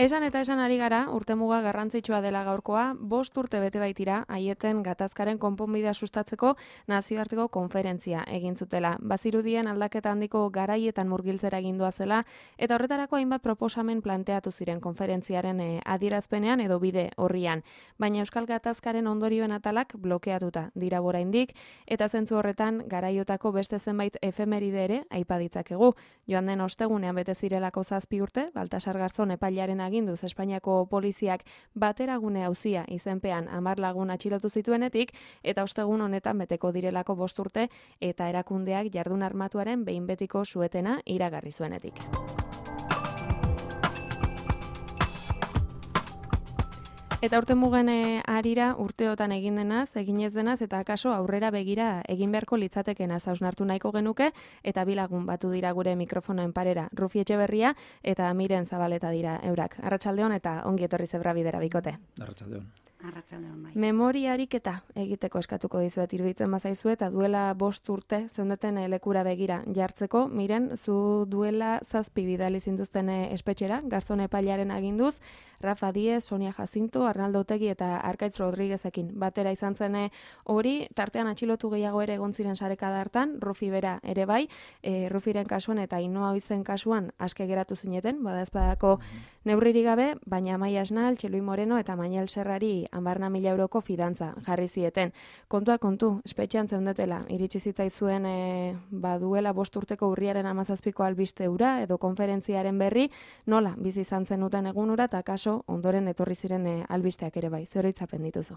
Esan eta esan ari gara, urtemuga garrantzitsua dela gaurkoa, 5 urte bete baitira, Aieten gatazkaren konponbidea sustatzeko nazioarteko konferentzia egin zutela. Bazirudien aldaketa handiko garaietan murgiltzera egindua zela, eta horretarako hainbat proposamen planteatu ziren konferentziaren adierazpenean edo bide horrian. Baina Euskal Gatazkaren ondorioen atalak blokeatuta dira oraindik, eta zentzu horretan garaiotako beste zenbait efemeride ere aipa ditzakegu. Joan den ostegunean bete zirelako 7 urte, Baltasar Garzón epailaren aginduz Espainiako poliziak bateragune auzia izenpean 10 lagun atxilotu zituenetik, eta ostegun honetan beteko direlako 5 urte eta erakundeak jardun armatuaren behin betiko suetena iragarri zuenetik. Eta urtemugen arira urteotan egin denaz, egin ez denaz, eta akaso aurrera begira egin beharko litzatekenaz hausnartu nahiko genuke, eta 2 lagun batu dira gure mikrofonoen parera. Rufi Etxeberria eta Miren Zabaleta dira eurak. Arratsaldeon eta ongi etorri Zebra Bidera bikote. Arratsaldeon. Arratsaldeon bai. Memoria ariketa egiteko eskatuko dizuet iruditzen bazaizu eta duela 5 urte zeundeten lekura begira jartzeko. Miren, zu duela 7 bidali zintuzten espetxera, Garzón epailaren aginduz, Rafa Diez, Sonia Jacinto, Arnaldo Otegi eta Arkaitz Rodriguezekin batera izan zen hori, tartean atxilotu gehiago ere egon ziren sarekada hartan, Rufi bera ere bai, Rufiren kasuan eta Ainhoa Oizen kasuan aske geratu zineten, badaezpadako neurririk gabe, baina Amaia Esnal, Txelui Moreno eta Manuel Serrari 10.000 euroko fidantza jarri zieten. Kontua kontu, espetxean zeundetela, iritsi zitzaizuen baduela 5 urteko urriaren 17ko albiste hura edo konferentziaren berri, nola bizi izan zenuten egunura eta kaso ondoren etorri ziren albisteak ere bai. Zer oroitzapen dituzu?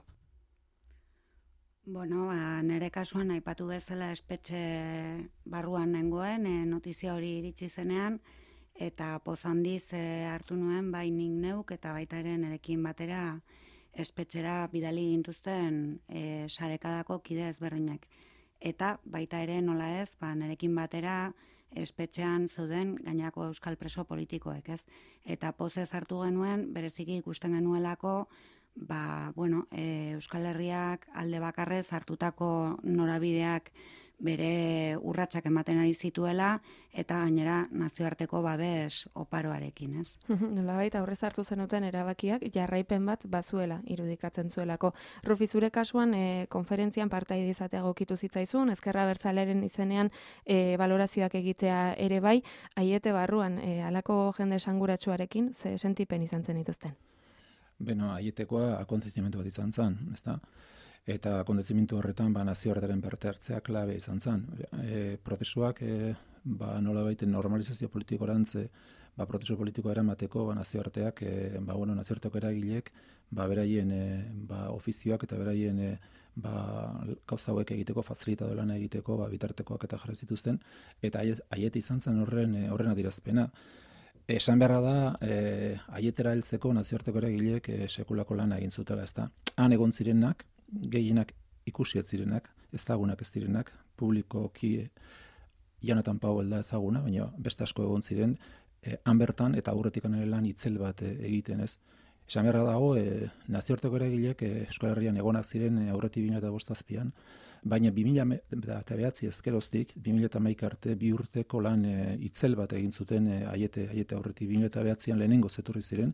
Bueno, nire kasuan aipatu bezala espetxe barruan nengoen, notizia hori iritsi zenean, eta poz handiz hartu nuen bai nik neuk eta baita ere nirekin batera espetxera bidali gintuzten sarekadako kide ezberdinak. Eta baita ere nola ez, nirekin batera espetxean zeuden gainako euskal preso politikoek, ez? Eta pozez hartu genuen, bereziki ikusten genuelako, Euskal Herriak alde bakarrez hartutako norabideak bere urratsak ematen ari zituela eta gainera nazioarteko babes oparoarekin, ez? Nolabait aurrez hartu zenuten erabakiak jarraipen bat bazuela irudikatzen zuelako. Rufi, zure kasuan konferentzian partaide izatea egokitu zitzaizun, Ezkerra Abertzalearen izenean balorazioak egitea ere bai, Aiete barruan halako jende esanguratsuarekin ze sentipen izan zen dituzten? Beno, Aietekoa akontzimentu bat izan zen, ezta? Eta akontzimentu horretan nazioartearen parte hartzea klabe izan zen. Prozesuak nolabait normalizazio politikorantz prozesu politikoa eramateko nazioarteak nazioarteko eragileek beraien ofizioak eta beraien gauza hauek egiteko fazilitado lana egiteko bitartekoak eta jarri zituzten, eta Aiete izan zen horren adierazpena. Esan beharra da, Aietera heltzeko nazioarteko eragileek sekulako lana egin zutela, ezta? Han egon zirenak, gehienak ikusi ez zirenak, ezagunak ez direnak, publikoki Jonathan Powell da ezaguna, baina beste asko egon ziren, han bertan eta aurretik ere lan itzel bat egiten, ez? Esan beharra dago, nazioarteko eragileek Euskal Herrian egonak ziren aurretik 2007an, baina 2009 ezkeroztik, 2011 arte 2 urteko lan itzel bat egin zuten Aiete aurretik 2009an lehenengo zetorri ziren,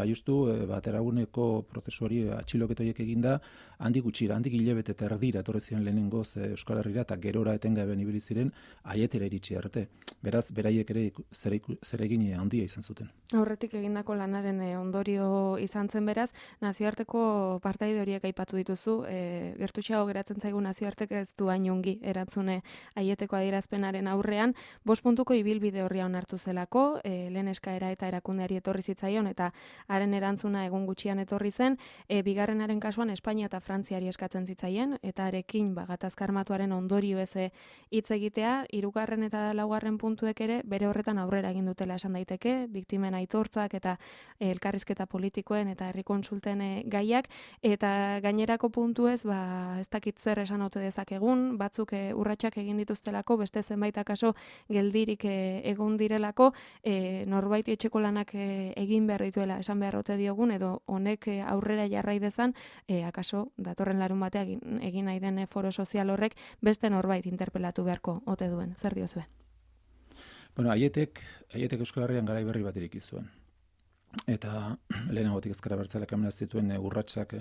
justu bateraguneko prozesu hori atxiloketa horiek eginda, handik gutxira, handik hilabete eta erdira etorri ziren lehenengoz Euskal Herrira eta gerora etengabean ibili ziren Aietera iritsi arte. Beraz, beraiek ere zeregin handia izan zuten. Aurretik egindako lanaren ondorio izan zen beraz, nazioarteko partaide horiek aipatu dituzu, gertutxeago geratzen zaigu nazioartek ez du hain ongi erantzune Aieteko adierazpenaren aurrean, 5 puntuko ibilbide horria onartu zelako, lehen eskaera eta erakundeari etorri zitzaion eta haren erantzuna egun gutxian etorri zen, bigarrenaren kasuan Espainia eta Frantziari eskatzen zitzaien, eta arekin gatazka armatuaren ondorio ez hitz egitea, 3. eta 4. puntuek ere bere horretan aurrera egin dutela esan daiteke, biktimen aitortzak eta elkarrizketa politikoen eta herri kontsulten gaiak, eta gainerako puntuez, ez dakit zer esan ote dezakegun, batzuk urratsak egin dituztelako, beste zenbait akaso geldirik egon direlako, norbait etxeko lanak egin behar dituela esan behar ote diogun, edo honek aurrera jarrai dezan, akaso datorren larun batean egin nahi den foro sozial horrek beste norbait interpelatu beharko ote duen. Zer diozue? Bueno, Aietek Euskal Herrian garai berri bat ireki zuen. eta lehenagotik ezker abertzaleak hemen zituen urratsak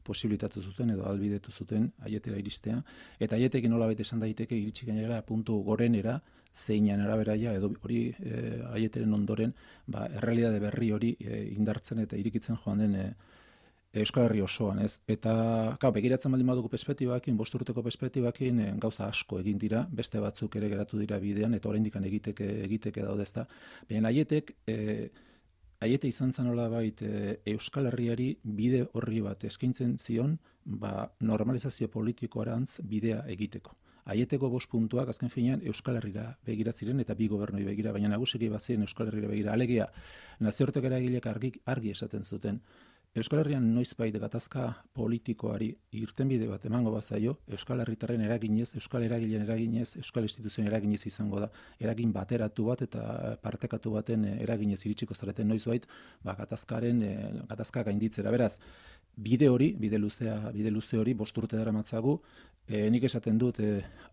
posibilitatu zuten edo albidetu zuten Aietera iristea, eta Aietekin nolabait esan daiteke iritsi gainera puntu gorenera, zeinan araberaia edo hori Aieteren ondoren errealitate berri hori indartzen eta irikitzen joan den Euskal Herri osoan, ez? Eta begiratzen baldin badugu perspektibakin, 5 urteko perspektibakin gauza asko egin dira, beste batzuk ere geratu dira bidean eta oraindik egiteke daude, ezta. Baina Aiete izan zen nolabait Euskal Herriari bide horri bat eskaintzen zion, normalizazio politikoarantz bidea egiteko. Aieteko 5 puntuak azken finean Euskal Herrira begira ziren eta bi gobernui begira, baina nagusiki baziren Euskal Herrira begira. Alegia, nazioarteko eragileek argi esaten zuten, Euskal Herrian noizbait gatazka politikoari irtenbide bat emango bazaio, Euskal Herritarren eraginez, Euskal Eragileen eraginez, Euskal Instituzioen eraginez izango da. Eragin bateratu bat eta partekatu baten eraginez iritsiko zareten noizbait, gatazka gainditzera. Beraz, bide luze hori 5 urte daramatzagu, nik esaten dut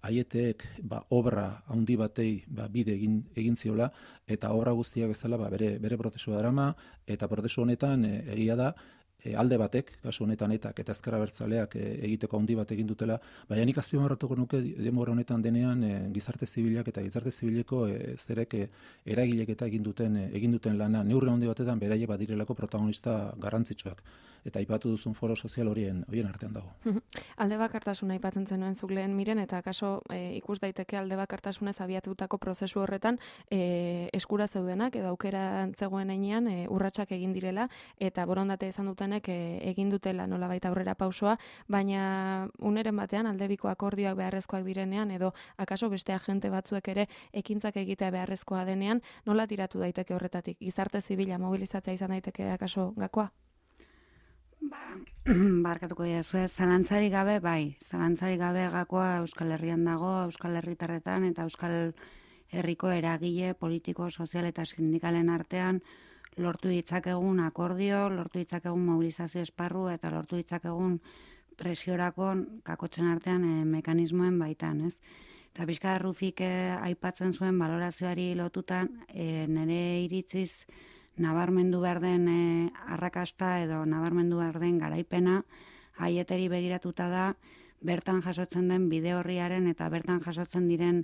Aieteek obra handi batei bide egin ziola, eta obra guztiak bezala bere prozesua darama, eta prozesu honetan egia da, alde batek, kasu honetan eta ezker abertzaleak egiteko handi bat egin dutela, baina nik azpimarratuko nuke denbora honetan denean gizarte zibilak eta gizarte zibileko zerek eragilek eta egin duten lana neurri handi batetan beraiek badirelako protagonista garrantzitsuak. Eta aipatu duzun foro sozial horien artean dago. Alde bakartasuna aipatzen zenuen zuk lehen Miren, eta kaso ikus daiteke alde bakartasunez abiatutako prozesu horretan eskura zeudenak edo aukera zegoen heinean urratsak egin direla eta borondate izan dutenek egin dutela nolabait aurrera pausoa, baina uneren batean aldebiko akordioak beharrezkoak direnean edo akaso beste agente batzuek ere ekintzak egitea beharrezkoa denean, nola tiratu daiteke horretatik? Gizarte zibila mobilizatzea izan daiteke akaso gakoa? Barkatuko diazue, zalantzarik gabe, zalantzarik gabe gakoa Euskal Herrian dago, Euskal Herritarretan eta Euskal Herriko eragile, politiko, sozial eta sindikalen artean lortu ditzakegun akordio, lortu ditzakegun mobilizazio esparru eta lortu ditzakegun presiorako kakotzen artean mekanismoen baitan, ez? Eta pixka Rufik aipatzen zuen balorazioari lotutan, nire iritziz nabarmendu behar den arrakasta edo nabarmendu behar den garaipena Aieteri begiratuta da, bertan jasotzen den bide horriaren eta bertan jasotzen diren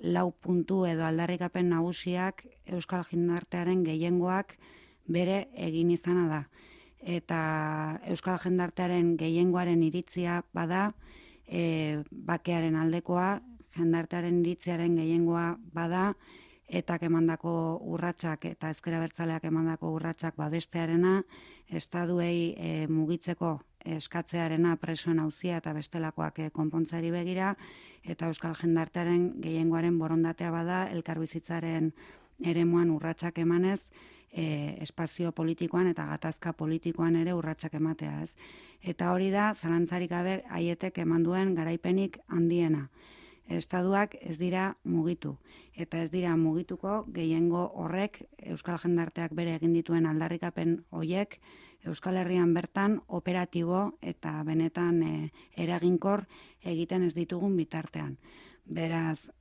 4 puntu edo aldarrikapen nagusiak Euskal jendartearen gehiengoak bere egin izana da. Eta Euskal jendartearen gehiengoaren iritzia bada, bakearen aldekoa, jendartearen iritziaren gehiengoa bada, eta emandako urratsak eta ezker abertzaleak emandako urratsak babestearena, estaduei mugitzeko eskatzearena presoen auzia eta bestelakoak konpontzari begira, eta Euskal jendartearen gehiengoaren borondatea bada elkarbizitzaren eremuan urratsak emanez, espazio politikoan eta gatazka politikoan ere urratsak ematea, ez. Eta hori da, zalantzarik gabe Aietek eman duen garaipenik handiena. Estaduak ez dira mugitu, eta ez dira mugituko gehiengo horrek Euskal jendarteak bere egin dituen aldarrikapen hoiek Euskal Herrian bertan operatibo eta benetan eraginkor egiten ez ditugun bitartean. Beraz,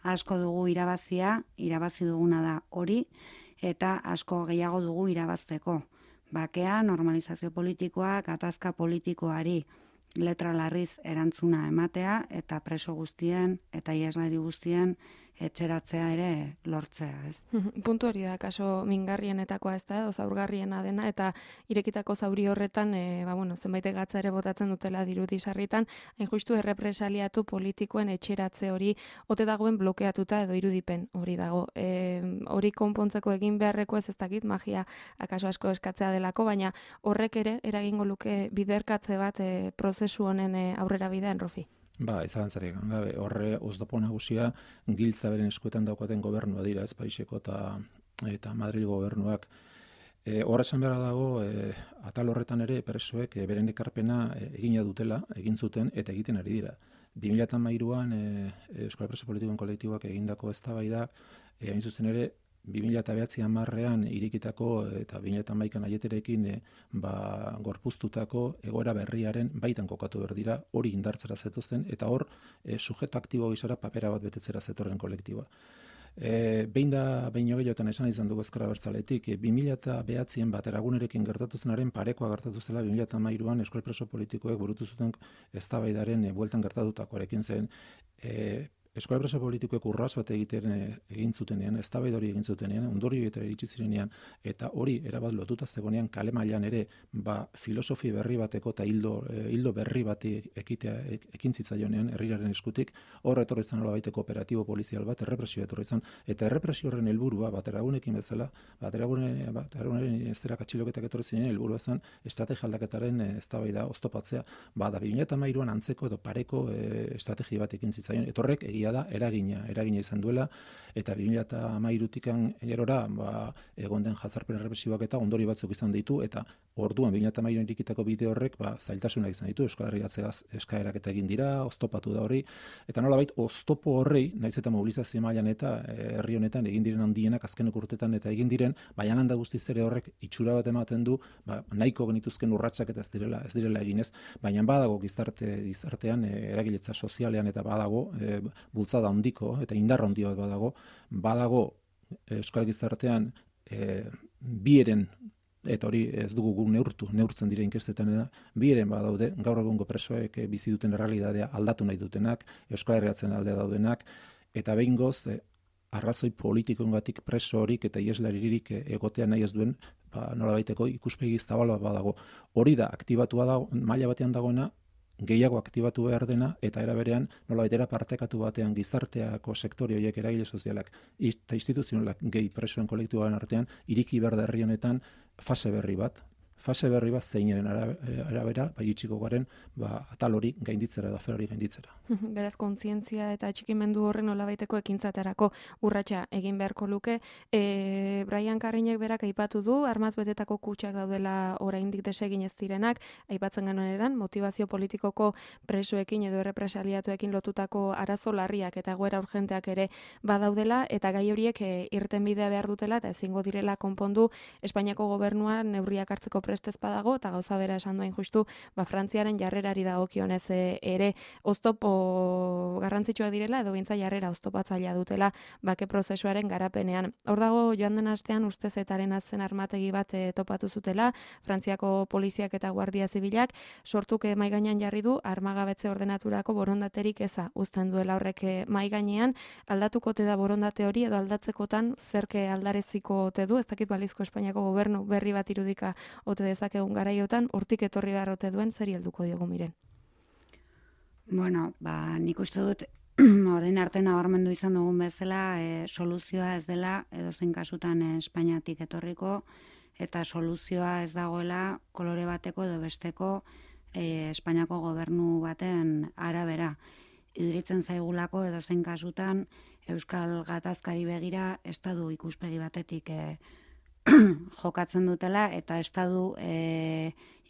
asko dugu irabazi duguna da hori, eta asko gehiago dugu irabazteko. Bakea, normalizazio politikoa, gatazka politikoari letra larriz erantzuna ematea eta preso guztien eta ieslari guztien etxeratzea ere lortzea, ez? Puntu hori da, kaso mingarrienetakoa ez da, zaurgarriena dena, eta irekitako zauri horretan, zenbait gatza ere botatzen dutela dirudi sarritan, hain justu errepresaliatu politikoen etxeratze hori ote dagoen blokeatuta edo irudipen hori dago. Hori konpontzeko egin beharreko ez dakit, magia akaso asko eskatzea delako, baina horrek ere eragingo luke biderkatze bat prozesu honen aurrera bidean, Rofi. Zalantzarik gabe, horre oztopo nagusia giltza beren eskuetan daukaten gobernua dira, ez Pariseko eta Madril gobernuak. Horra esan behar dago, atal horretan ere presoek beren ekarpena egina dutela, egin zuten eta egiten ari dira. 2013an Euskal Preso Politikoen kolektiboak egindako eztabaida, hain zuzen ere 2009an irikitako eta 2011an Aieterekin gorpuztutako egoera berriaren baitan kokatu behar dira, hori indartzera zetuzten, eta hor sujeto aktibo gizara papera bat betetzera zetorren kolektiboa. Behin gehiagotan esan izan dugu Ezker Abertzaletik, 2009an Bateragunerekin gertatu zenaren parekoa gertatu zela 2013an euskal preso politikoek burutu zuten eztabaidaren bueltan gertatutakoarekin zen. Euskal preso politikoek urras bat egin zutenean, eztabaida hori egin zutenean, ondorioetara iritsi zirenean, eta hori erabat lotuta zegoenean kale mailan ere, filosofi berri bateko eta hildo berri bati ekin zitzaionean herriraren eskutik, hor etorri izan nolabaiteko operatibo polizial bat, errepresio etorri izan, eta errepresio horren helburua Bateragunekin bezala, Bateragunaren esterak atxiloketak etorri ziren helburua zen estrategia aldaketaren eztabaida oztopatzea, da 2013an antzeko edo pareko estrategia bat ekin zitzaion, etorrek egia da eragina izan duela, eta 2013tikan gerora egon den jazarpen errepresiboak eta ondori batzuk izan ditu, eta orduan 2013an irikitako bide horrek zailtasunak izan ditu, Euskal Herriatzegaz eskaerak eta egin dira, oztopatu da horri, eta nolabait oztopo horrei, naiz eta mobilizazio mailan eta herri honetan egin diren handienak azkeneko urtetan eta egin diren, baina handa guztiz ere horrek itxura bat ematen du, nahiko genituzken urratsak eta ez direla eginez, baina badago gizartean eragiletza sozialean eta badago bultzada handiko eta indar handia badago euskal gizartean bieren, eta hori ez dugu gu neurtzen dira inkestetan, bieren badaude, gaur egungo presoek bizi duten errealitatea aldatu nahi dutenak, Euskal Herriatzen aldea daudenak, eta behingoz arrazoi politikoengatik preso horik eta ieslaririk egotea nahi ez duen, nolabaiteko ikuspegi zabal bat badago. Hori da, aktibatua da, maila batean dagoena, gehiago aktibatu behar dena, eta era berean nolabaitera partekatu batean gizarteako sektore horiek eragile sozialak eta instituzionalak gehi presoen kolektiboaren artean iriki behar da herri honetan fase berri bat zeinaren arabera iritsiko garen atal hori gainditzera edo afer hori gainditzera. Beraz, kontzientzia eta atxikimendu horren nolabaiteko ekintzaterako urratsa egin beharko luke. Brian Carrinek berak aipatu du, armaz betetako kutxak daudela oraindik desegin ez direnak, aipatzen genuen eran, motivazio politikoko presoekin edo errepresaliatuekin lotutako arazo larriak eta egoera urgenteak ere badaudela, eta gai horiek irtenbidea behar dutela eta ezingo direla konpondu Espainiako gobernuan neurriak hartzeko prestez badago, eta gauza bera esan duen justu, Frantziaren jarrerari dagokionez ere oztopo garrantzitsua direla, edo bintza jarrera oztopatzailea dutela bake prozesuaren garapenean. Hor dago, joan den astean ustezetaren azen armategi bat topatu zutela, Frantziako poliziak eta guardia zibilak, sortuk mahai gainean jarri du armagabetze ordenaturako borondaterik eza uzten duela horrek mahai gainean, aldatuko te da borondate hori edo aldatzekotan zerke aldareziko ote du, ez dakit balizko Espainiako gobernu berri bat irudika ote dezakegun garaiotan, hortik etorri beharrote duen, zeri helduko diogu Miren? Bueno, nik uste dut, orain arte nabarmendu izan dugun bezala, soluzioa ez dela, edozein kasutan Espainiatik etorriko, eta soluzioa ez dagoela kolore bateko edo besteko Espainiako gobernu baten arabera. Iduritzen zaigulako edozein kasutan Euskal Gatazkari begira estadu ikuspegi batetik jokatzen dutela, eta estadu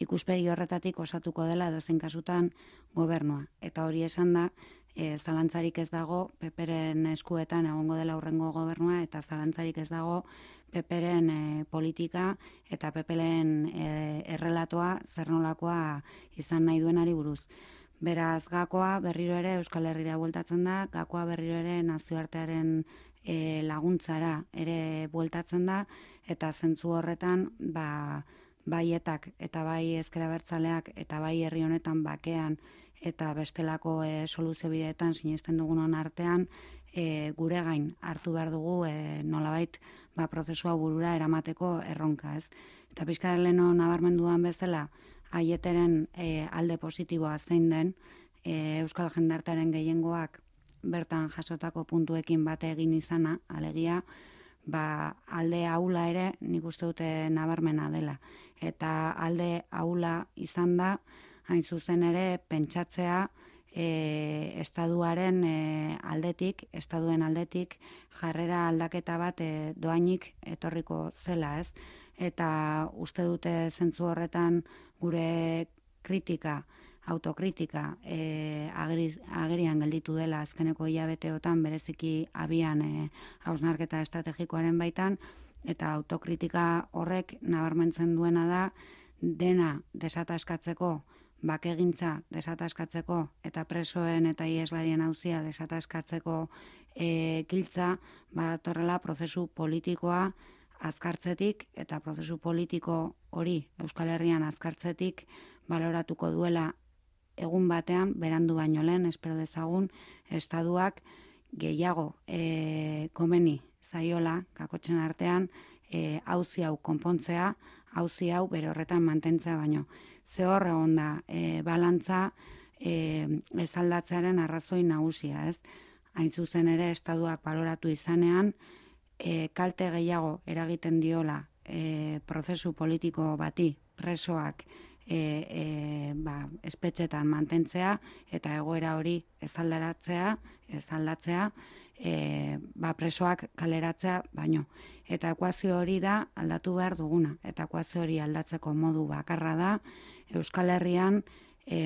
ikuspegi horretatik osatuko dela edozein kasutan gobernua. Eta hori esan da, zalantzarik ez dago PPren eskuetan egongo dela hurrengo gobernua, eta zalantzarik ez dago PPren politika eta PPren errelatoa zer nolakoa izan nahi duenari buruz. Beraz, gakoa berriro ere Euskal Herrira bueltatzen da, gakoa berriro ere nazioartearen laguntzara ere bueltatzen da, eta zentzu horretan bai etak eta bai Ezker Abertzaleak eta bai herri honetan bakean eta bestelako soluzio bideetan sinesten dugunon artean gure gain hartu behar dugu nolabait prozesua burura eramateko erronka, ez? Eta pixka leheno nabarmenduan bezala aieteren alde positiboa zein den, Euskal jendartearen gehiengoak bertan jasotako puntuekin bate egin izana, alegia, alde ahula ere nik uste dute nabarmena dela. Eta alde ahula izan da, hain zuzen ere pentsatzea estaduen aldetik jarrera aldaketa bat doainik etorriko zela, ez? Eta uste dute zentzu horretan gure autokritika agerian gelditu dela azkeneko hilabeteotan bereziki abian hausnarketa estrategikoaren baitan, eta autokritika horrek nabarmentzen duena da dena desataskatzeko bakegintza desataskatzeko eta presoen eta ieslarien auzia desataskatzeko giltza, badatorrela prozesu politikoa azkartzetik eta prozesu politiko hori Euskal Herrian azkartzetik baloratuko duela egun batean, berandu baino lehen, espero dezagun, estatuak gehiago komeni zaiola, kakotxen artean, auzi hau konpontzea, auzi hau bere horretan mantentzea baino. Ze hor egon da, balantza ez aldatzearen arrazoi nagusia, ez? Hain zuzen ere, estatuak baloratu izanean, kalte gehiago eragiten diola prozesu politiko bati, presoak espetxetan mantentzea eta egoera hori ez aldatzea, presoak kaleratzea baino. Eta ekuazio hori da aldatu behar duguna. Eta ekuazio hori aldatzeko modu bakarra da Euskal Herrian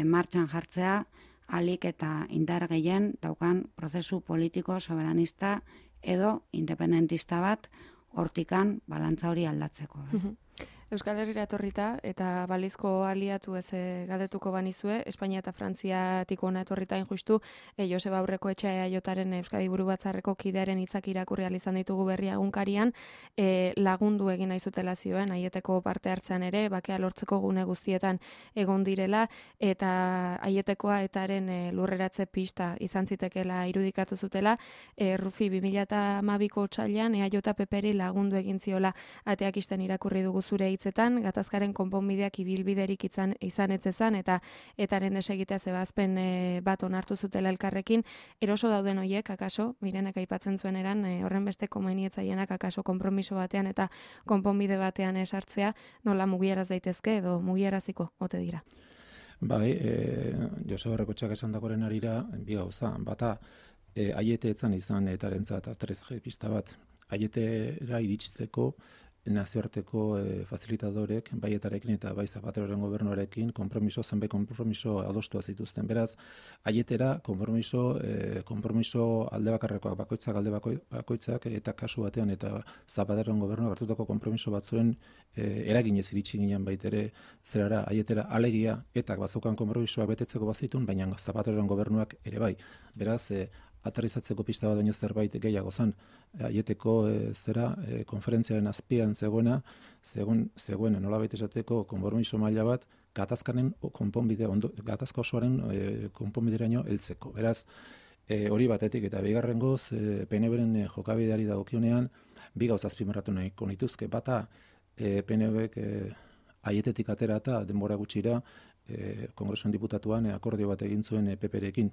martxan jartzea ahalik eta indar gehien daukan prozesu politiko soberanista edo independentista bat hortikan balantza hori aldatzeko. Euskal Herrira etorrita eta balizko aliatu ez galdetuko banizue, Espainia eta Frantziatik hona etorrita injustu, Joseba Aurrekoetxea EAJaren Euskadi Buru Batzarreko kidearen hitzak irakurri ahal izan ditugu Berria egunkarian, lagundu egin nahi zutela zioen, Aieteko parte hartzean ere, bakea lortzeko gune guztietan egon direla, eta Aietekoa etaren lurreratze pista izan zitekeela irudikatu zutela, Rufi 2012ko otsailean EAJ PPri lagundu egin ziola ateak isten irakurri dugu zure hitzetan, gatazkaren konponbideak ibilbiderik izan etzezan eta etaren desegitea zebazpen bat onartu zutela elkarrekin, eroso dauden hoiek, akaso, Mirenek aipatzen zuen eran, horren beste komenietzailenak akaso konpromiso batean eta konponbide batean esartzea, nola mugieraz daitezke edo mugieraziko ote dira? Bai, Joseba Aurrekoetxeak esan dagoren arira, bi gauza, bata, Aiete etzan izan etarentzat atrezge pista bat, Aietera iritsiteko nazioarteko facilitadorek, bai etarekin eta bai Zapateroren gobernuarekin zenbait konpromiso adostua zituzten. Beraz, Aietera konpromiso alde bakarrekoak, bakoitzak eta kasu batean eta Zapateroren gobernuak hartutako konpromiso batzuen eraginez iritsi ginen baitere zerara Aietera alegia eta bazaukan konpromisoak betetzeko bazitun, baina Zapateroren gobernuak ere bai. Beraz, aterrizatzeko pista bat baino zerbait gehiago zen. Aieteko konferentziaren azpian zegoen nolabait esateko konpromiso maila bat gatazka osoaren konponbideraino heltzeko. Beraz, hori batetik eta bigarrengoz PNBren jokabideari dagokionean bi gauza azpimarratu nahiko nituzke. Bata, PNBek Aietetik atera eta denbora gutxira Kongresuan diputatuan akordio bat egin zuen PPrekin.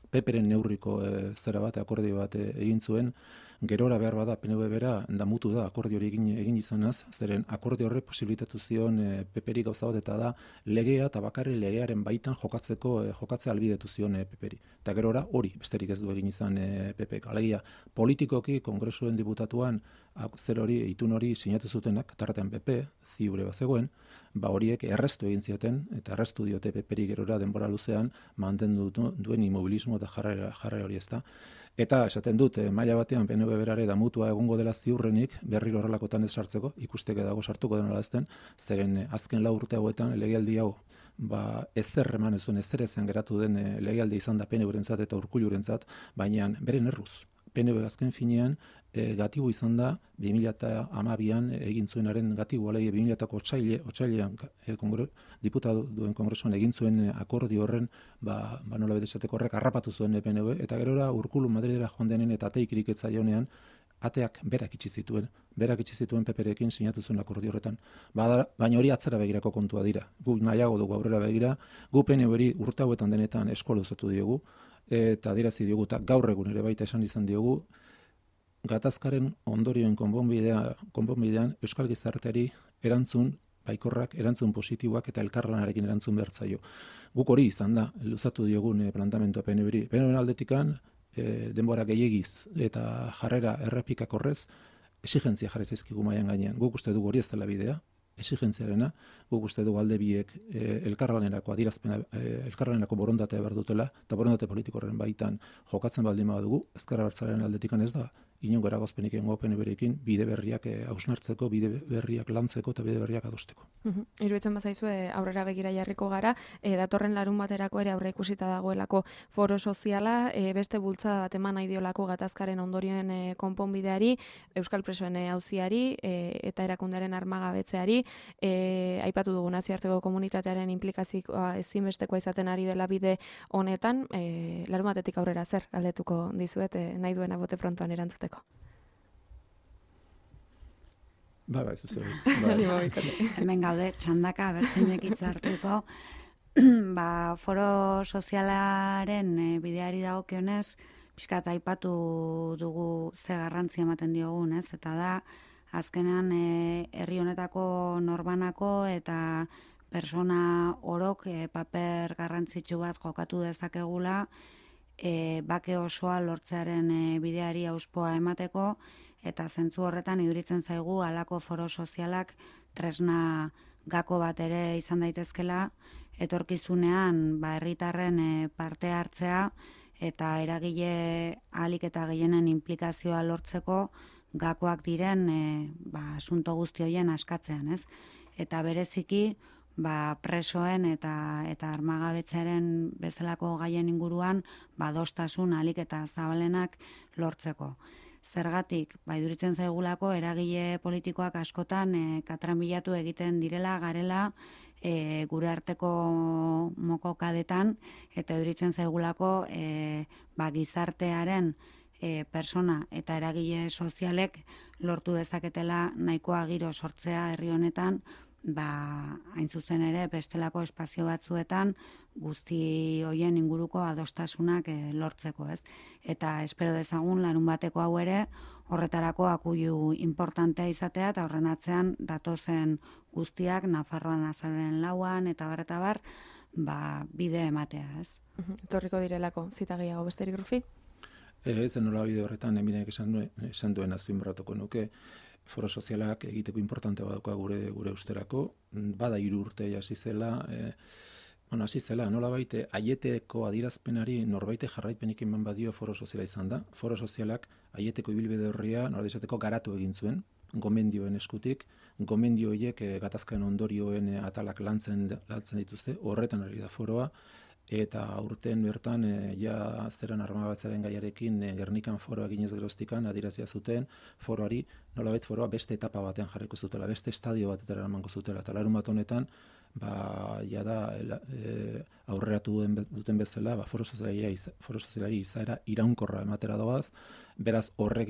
PPren neurriko zera bat, akordio bat egin zuen, gerora behar bada PNB bera damutu da akordio hori egin izanaz, zeren akordio horre posibilitatu zion PPri gauza bat eta da legea eta bakarri legearen baitan jokatzea albidetu zion PPri. Eta gerora hori besterik ez du egin izan PPek. Alegia, politikoki Kongresuen diputatuan itun hori sinatu zutenak, tartean PP, ziure bazegoen, horiek errestu egin zioten, eta errestu diote PPri gerora denbora luzean mantendu duen immobilismo eta jarrera hori ezta. Eta esaten dut, maila batean PNB berare damutua egongo dela ziurrenik, berriro horrelakotan ez sartzeko, ikusteke dago sartuko denala ezten, zeren azken 4 urte hauetan legealdi hau ezer eman ez duen, ezer ezen geratu den legealdi izan da PNB-rentzat eta Urkullurentzat, baina beren erruz. PNB azken finean gatibu izan da 2012an egin zuenaren gatibu, alegia 2000ko otsailean diputaduen kongresuan egin zuen akordio horren, nola bete esateko horrek harrapatu zuen PNB, eta gerora Urkullu Madridera joan denen eta ateik iriketzaionean ateak berak itxi zituen PPrekin sinatu zuen akordio horretan. Baina hori atzera begirako kontua dira. Guk nahiago dugu aurrera begira, gu PNBri urte hauetan denetan eskola uzatu diogu, eta adierazi diogu, eta gaur egun ere baita esan izan diogu, gatazkaren ondorioen konponbidean Euskal Gizarteari erantzun baikorrak, erantzun positiboak eta elkarlanarekin erantzun behar zaio. Guk hori izan da, luzatu diogun plantamentoa PNBri. PNBren aldetikan, denbora gehiagiz eta jarrera errepikak horrez, exigentzia jarri zaizkigu mailan gainean. Guk uste dugu hori ez dela bidea, exigentziarena, guk uste dugu alde biek elkarlanerako adierazpena, elkarlanerako borondatea behar dutela, eta borondate politiko horren baitan jokatzen baldin badugu, ezker abertzalearen aldetikan ez da inongo eragozpenik egongo PNV-rekin bide berriak hausnartzeko, bide berriak lantzeko eta bide berriak adosteko. Iruditzen bazaizue aurrera begira jarriko gara, datorren larun baterako ere aurre ikusita dagoelako foro soziala, beste bultzada bat eman nahi diolako gatazkaren ondorioen konponbideari, Euskal Presoen auziari eta erakundearen armagabetzeari, aipatu dugu nazioarteko komunitatearen implikazioa ezinbestekoa izaten ari dela bide honetan, larun batetik aurrera zer galdetuko dizuet nahi duena bote prontoan erantzuteko. Bai, zuzen. Hemen gaude, txandaka, bertzinek hitzartuko. Foro sozialaren bideari dagokionez, pixkat aipatu dugu ze garrantzia ematen diogun, ez? Eta da, azkenean herri honetako norbanako eta persona orok paper garrantzitsu bat jokatu dezakegula, bake osoa lortzearen bideari auspoa emateko, eta zentzu horretan iduritzen zaigu halako foro sozialak tresna gako bat ere izan daitezkela, etorkizunean herritarren parte hartzea eta eragile ahalik eta gehienen implikazioa lortzeko gakoak diren asunto guzti horien askatzean, ez? Eta bereziki presoen eta armagabetzearen bezalako gaien inguruan adostasun ahalik eta zabalenak lortzeko. Zergatik, iduritzen zaigulako eragile politikoak askotan katranbilatu egiten direla garela gure arteko mokokadetan, eta iduritzen zaigulako gizartearen persona eta eragile sozialek lortu dezaketela nahikoa giro sortzea herri honetan, hain zuzen ere bestelako espazio batzuetan guzti hoien inguruko adostasunak lortzeko, ez? Eta espero dezagun larun bateko hau ere horretarako akuilu importantea izatea, eta horren atzean datozen guztiak Nafarroan azaroaren 4an eta bar, bide ematea, ez? Etorriko direlako zita gehiago besterik, Rufi? Ez nola bide horretan eminek esan duen azpimarratuko nuke, foro sozialak egiteko importante badauka gure usterako, bada 3 urte hasi zela, nola baite, aieteko adierazpenari norbaite jarraipenik eman badio foro soziala izan da. Foro sozialak aieteko ibilbide horria nola izateko garatu egin zuen, gomendioen eskutik, gomendio horiek gatazkaren ondorioen atalak lantzen dituzte, horretan ari da foroa, eta urten bertan zeran armagabetzaren gaiarekin Gernikan foroa eginez geroztikan adierazia zuten foroari, nolabait foroa beste etapa batean jarriko zutela, beste estadio batetara emango zutela, eta larun bat honetan aurreratu duten bezala foro sozialari izaera iraunkorra ematera doaz, beraz horrek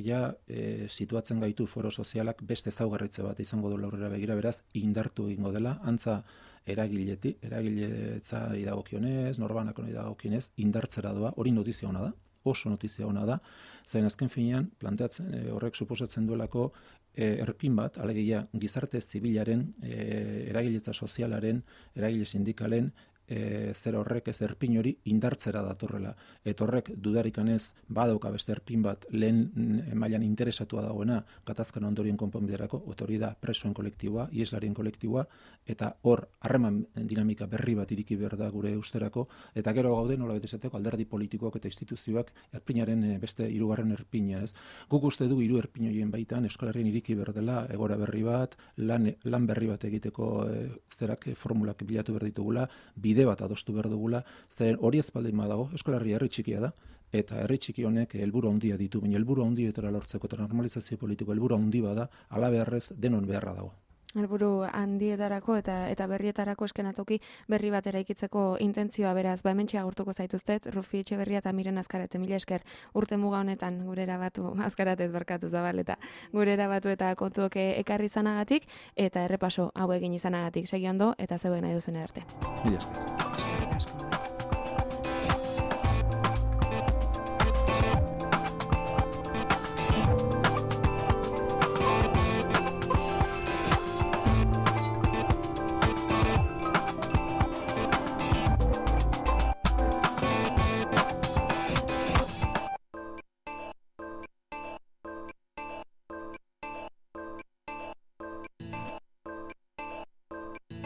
situatzen gaitu foro sozialak beste ezaugarritze bat izango du aurrera begira, beraz indartu egingo dela, antza eragiletzari dagokionez, norbanakoni dagokionez, indartzera doa, hori notizia ona da, oso notizia ona da, zain azken finean, planteatzen horrek suposatzen duelako erpin bat, alegia gizarte zibilaren, eragiletza sozialaren, eragile sindikalen, zer horrek ez erpin hori indartzera datorrela. Eta horrek dudarikanez badauka beste erpin bat lehen mailan interesatua dagoena gatazkan ondorien konponbiderako, hori da presoen kolektiboa, ieslarien kolektiboa, eta hor harreman dinamika berri bat iriki behar da gure usterako, eta gero gaude nola betesateko alderdi politikoak eta instituzioak erpinaren beste 3. erpina, ez? Guk uste du 3 erpin horien baitan Euskal Herrian iriki behar dela egora berri bat, lan berri bat egiteko formulak bilatu behar ditugula, bide bat adostu behar dugula, zeren hori ez baldin badago, Euskal Herria herri txikia da, eta herri txiki honek helburu handia ditu, baina helburu handietara lortzeko eta normalizazio politiko helburu handi bada, hala beharrez denon beharra dago. Helburu handietarako eta berrietarako eskenatoki berri bat eraikitzeko intentzioa, beraz, hementxe agurtuko zaituztet, Rufi Etxeberria eta Miren Azkarate, mila esker urte muga honetan gurera batu, Azkaratez barkatu Zabaleta, gurera batu eta kontuok ekarri izanagatik, eta errepaso hau egin izanagatik. Segi ondo eta zeuen nahi duzen arte. Mila esker.